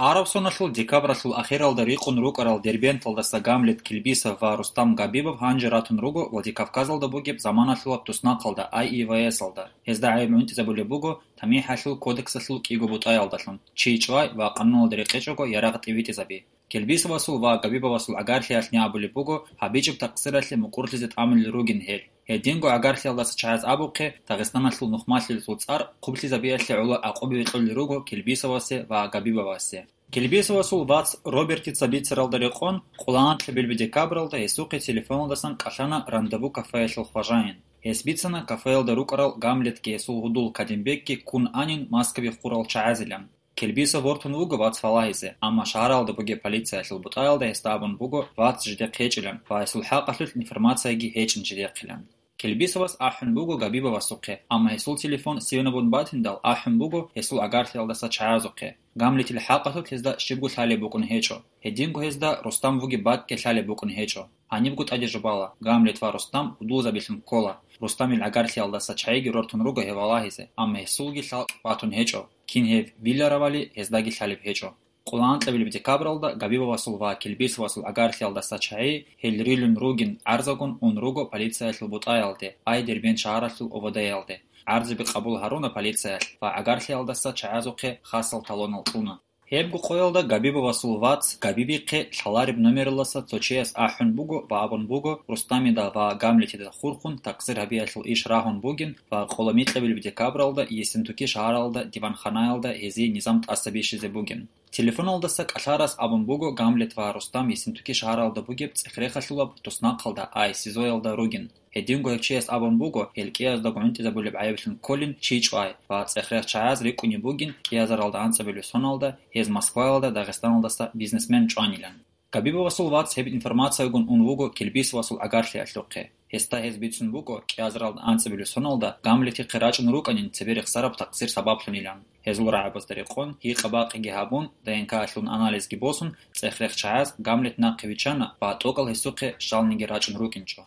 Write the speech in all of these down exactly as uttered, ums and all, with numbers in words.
Араб соналъул декабралъул ахиралда рикъун рукӀарал Дербенталдаса Гамлет Килбисов ва Рустам Габибов гьанже ратун руго Владикавказалда бугеб заманалъулаб туснахъалда, АИВС-алда. Гьезда гӀайиб гӀунтӀизабулеб буго ТамихӀалъул кодексалъул кӀиго бутӀаялдалъун: чи чӀвай ва къануналда рекъечӀого ярагъ тӀибитӀизаби. Килбисовасул ва Габибовасул гӀагарлъиялъни абулеб буго гьабичӀеб такъсиралъе мукӀурлъизе тӀамулел ругин гьел. Гьединго гӀагарлъиялдаса чагӀаз абухъе, Дагъистаналъул нухмалъулесул цӀар хъублъизабиялъе гӀоло гӀакъуба бекьулел руго Килбисовасе ва Габибовасе. Килбисовасул вац Робертица бицаралда рекъон, къоло анкьабилеб декабралда гьесухъе телефоналдасан кӀалъана Рандеву кафеялъул хважаин. Гьес бицана кафеялда рукӀарал Гамлетги гьесул гьудул Кадимбекги ккун анин Москваби хурал чагӀазилан. Килбисов вортун вуго вац валагьизе, амма шагьаралда бугеб полициялъул бутӀаялда гьесда абун буго вац жидехъ гьечӀилан ва гьесул хӀакъалъулъ информацияги гьечӀин жидехъилан. Килбисовас ахӀун буго Габибовасухъе, амма гьесул телефон сивнабун батиндал ахӀун буго гьесул гӀагарлъиялдаса чагӀазухъе. Гамлетил хӀакъалъулъ гьезда щибго лъалеб букӀун гьечӀо. Гьединго гьезда Рустам вугеб бакӀги лъалеб букӀун гьечӀо. Гьанибго тӀаде жубала, Гамлет ва Рустам гьудулзабилъун ккола. Рустамил гӀагарлъиялдаса чагӀиги рортун руго гьев валагьизе, амма гьесулги лъалкӀ батун гьечӀо. Кин гьев виларавали, гьездаги лъалеб гьечӀо. Къоло анкьабилеб декабралда Габибовасул ва Килбисовасул гӀагарлъиялдаса чагӀи гьел рилун ругин гӀарзагун ун руго полициялъул бутӀаялде, ай Дербент шагьаралъул ОВД-ялде. ГӀарзаби къабул гьаруна полициялъ ва гӀагарлъиялдаса чагӀазухъе хасал талонал кьуна. Гьебго къоялда Габибовасул вац Габибихъе лъалареб номералдаса цо чияс ахӀун буго ва абун буго, Рустамида ва Гамлетида хурхун такъсир гьабиялъул иш рагьун бугин ва къоло микьабилеб декабралда Ессентуки шагьаралда диванханаялда гьезие низам тӀаса бищизе бугин. Телефоналдаса кӀалъарас абун буго, Гамлет ва Рустам Ессентуки шагьаралда бугеб цӀехрехалъулаб туснахъалда, ай СИЗО-ялда ругин. Гьединго гьев чияс абун буго, гьел кӀиязда гӀунтӀизабулеб гӀайиблъун кколин чи чӀвай ва цӀехрех чагӀаз рикӀкӀунеб бугин кӀиазаралда анцӀабилеб соналда гьез Москваялда Дагъистаналдаса бизнесмен чӀванилан. Габибовасул вац гьеб информациягун ун вуго Килбисовасул гӀагарлъиялъухъе. Гьесда гьез бицун буго, кӀиазаралда анцӀабилеб соналда Гамлетихъе рачӀун рукӀанин цебе рехсараб такъсир сабаблъунилан. Гьезул рагӀабазда рекъон, гьикъа-бакъиги гьабун, ДНК-лъун анализги босун, цӀехрех чагӀаз Гамлет нахъе виччана ва тӀокӀал гьесухъе щалниги рачӀун рукӀинчӀо.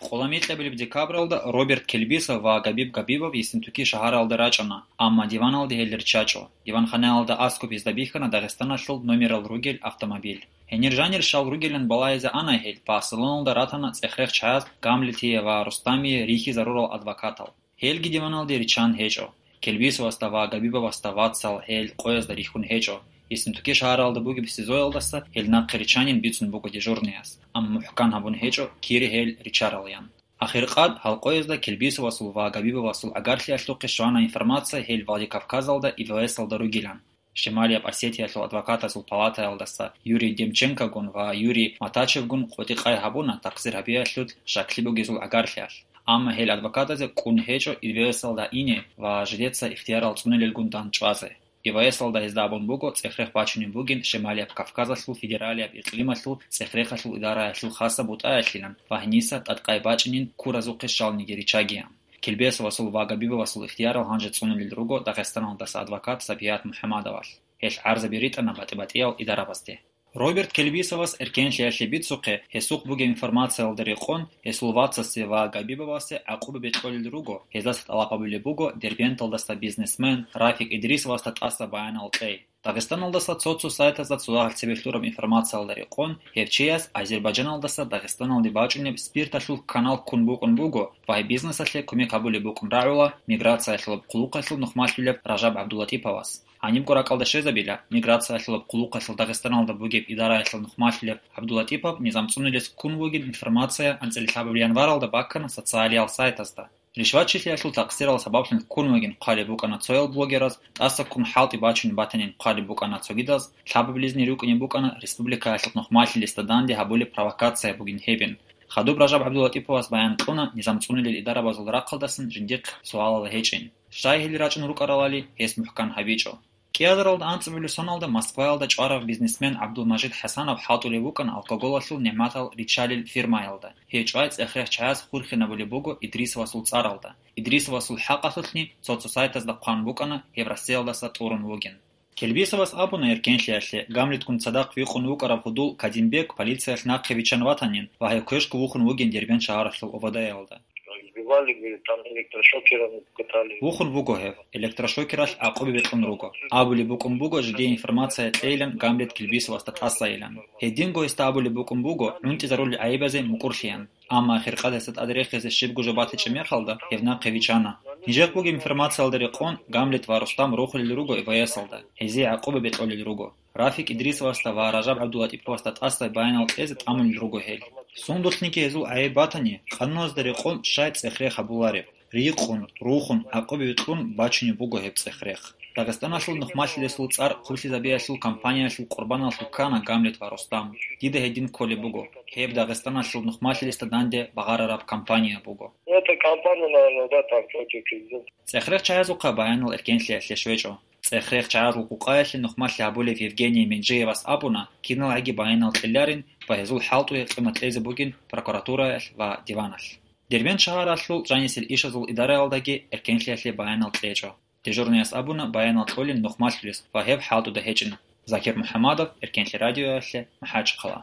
Къоло микьабилеб декабралда Роберт Килбисов ва Габиб Габибов Ессентуки шагьаралда рачӀана, амма диваналде гьел риччачӀо. Диванханаялда аскӀоб гьезда бихьана Дагъистаналъул номерал ругел автомобиль. Гьенир жанир щал ругилан балагьизе ана гьел ва салоналда ратана цӀехрех чагӀаз Гамлетие ва Рустамие рихьизарурал адвокатал. Гьелги диваналде риччан гьечӀо. Килбисовасда ва Габибовасда вацал гьел къоязда рихьун гьечӀо. Ессентуки шагьаралда бугеб СИЗО-ялдаса гьел нахъе риччанин бицун буго дежурныяс, амма мухӀкан гьабун гьечӀо, кире гьел риччаралаян. Ахиркъад гьал къоязда Килбисовасул ва Габибовасул гӀагарлъиялъухъе щвана информация гьел Владикавказалда ИВС-алда ругилан. Шималияб Осетиялъул адвокатазул палатаялдаса Юрий Демченкогун ва Юрий Матачевгун къотӀи-къай гьабуна такъсир гьабиялъул щаклъи бугезул гӀагарлъиялъ. Амма гьел адвокатазе кӀун гьечӀо ИВС-алда ине ва жидеца ихтиярал цӀунилелгун дандчӀвазе. ИВС-алда гьезда абун буго цӀехрех бачунеб бугин Шималияб Кавказалъул федералияб икълималъул цӀехрехалъул идараялъул хасаб бутӀаялъилан ва гьениса тӀадкъай бачӀинин куразухъе щалниги риччагиян. Килбисовасул ва Габибовасул ихтиярал гьанже цӀунулел руго Дагъистаналдаса адвокат Сабигьат МухӀамадовалъ. Гьелъ гӀарзаби ритӀана батӀи-батӀиял идарабазде. Роберт Килбисовас эркенлъиялъе бицухъе, гьесухъ бугеб информациялда рекъон, гьесул вацасе ва Габибовасе гӀакъуба бекьулел руго, гьездаса тӀалаб гьабулеб буго Дербенталдаса бизнесмен Рафик Идрисовасда тӀаса баянал кьей. Дагъистаналдаса цо-цо сайтазда цо лагьал цебе лъураб информациялда рекъон, гьев чияс Азербайджаналдаса Дагъистаналде бачӀунеб спирталъул канал ккун букӀун буго ва гьеб бизнесалъе кумек гьабулеб букӀун рагӀула миграциялъулаб хъулухъалъул нухмалъулеб Ражаб ГӀабдулатӀиповас. Гьанибго ракӀалда щвезабила, миграциялъулаб хъулухъалъул Дагъистаналда бугеб идараялъул нухмалъулеб ГӀабдулатӀипов низам цӀунулес ккун вугин информация анцӀила лъабабилан варалда баккана социалиял сайтазда. Ришватчилъиялъул такъсирал сабаблъун ккун вугин хъвалеб букӀана цоял блогераз, тӀаса ккун хӀалтӀи бачун батанин хъвалеб букӀана цогидаз, лъабабилезни рукӀине букӀана республикаялъул нухмалъилесда данде гьабулеб провокация бугин гьебин. Хадуб Ражаб ГӀабдулатӀиповас баян кьуна низам цӀунулел идарабазул рахъалдасан жиндихъ суалал гьечӀин. Щай гьел рачӀун рукӀаралали, гьес мухӀкан гьабичӀо. КӀиазаралда анцӀабилеб соналда Москваялда чӀварав бизнесмен ГӀабдулмажид ХӀасанов хӀалтӀулев вукӀана алкоголалъул нигӀматал риччалел фирмаялда. Гьев чӀвай цӀехрех чагӀаз хурхинабулеб буго Идрисовасул цӀаралда. Идрисовасул хӀакъалъулъни цо-цо сайтазда хъван букӀана, гьев Россиялдаса тӀурун вугин. Килбисовас абуна эркенлъиялъе, Гамлетгун цадахъ вихъун вукӀарав гьудул Кадимбек полициялъ нахъе виччан ватанин ва гьев квешго вухун вугин Дербент шагьаралъул ОВД-ялда. Вали, говорит, там электрошокером катали. Вухун вуго гьев, электрошокералъ гӀакъуби бекьун руго. Абулеб букӀун буго жиде информация кьейилан Гамлет Килбисовасда тӀасайилан. Гьединго гьесда абулеб букӀун буго гӀунтӀизарулел гӀайибазе мукӀурлъиян. Амма хиркъад гьесда тӀаде рехизе щибго жо батичӀеб мехалда, гьев нахъе вичӀана. Нижехъ бугеб информациялда рекъон, Гамлет ва Рустам рохулел руго ВС-алда, гьезие гӀакъуба бекьулел руго. Рафик Идрисовасда ва Ражаб ГӀабдулатӀиповасда тӀаса баянал кьезе тӀамулел руго гьел. Сундулъниги гьезул гӀайиб батани, къануналда рекъон щай цӀех-рех гьабулареб. Рикъун, рухун, гӀакъуби витӀун бачунеб буго гьеб цӀех-рех. Дагъистаналъул нухмалъилесул цӀар хъублъизабиялъул кампаниялъул къурбаналъул ккана Гамлет ва Рустам. Дида гьедин кколеб буго, гьеб Дагъистаналъул нухмалъилесда данде багъарараб кампания буго. Это кампания, наверное, да, там против президента. ЦӀех-рех чагӀазухъа баянал эркенлъиялъе щвечӀо. ЦӀех-рех чагӀазул къукъаялъе нухмалъи гьабулев Евгений Менжиевас абуна, киналгӀаги баянал кьеларин ва гьезул хӀалтӀуе къимат кьезе бугин прокуратураялъ ва диваналъ. Дербент шагьаралъул жанисел ишазул идараялдаги эркенлъиялъе баянал кьечӀо. Дежурныяс абуна баянал кьолин нухмалъулес ва гьеб хӀалтӀуда гьечӀин. Закир МухӀамадов, Эркенлъи радиоялъе, МахӀачхъала.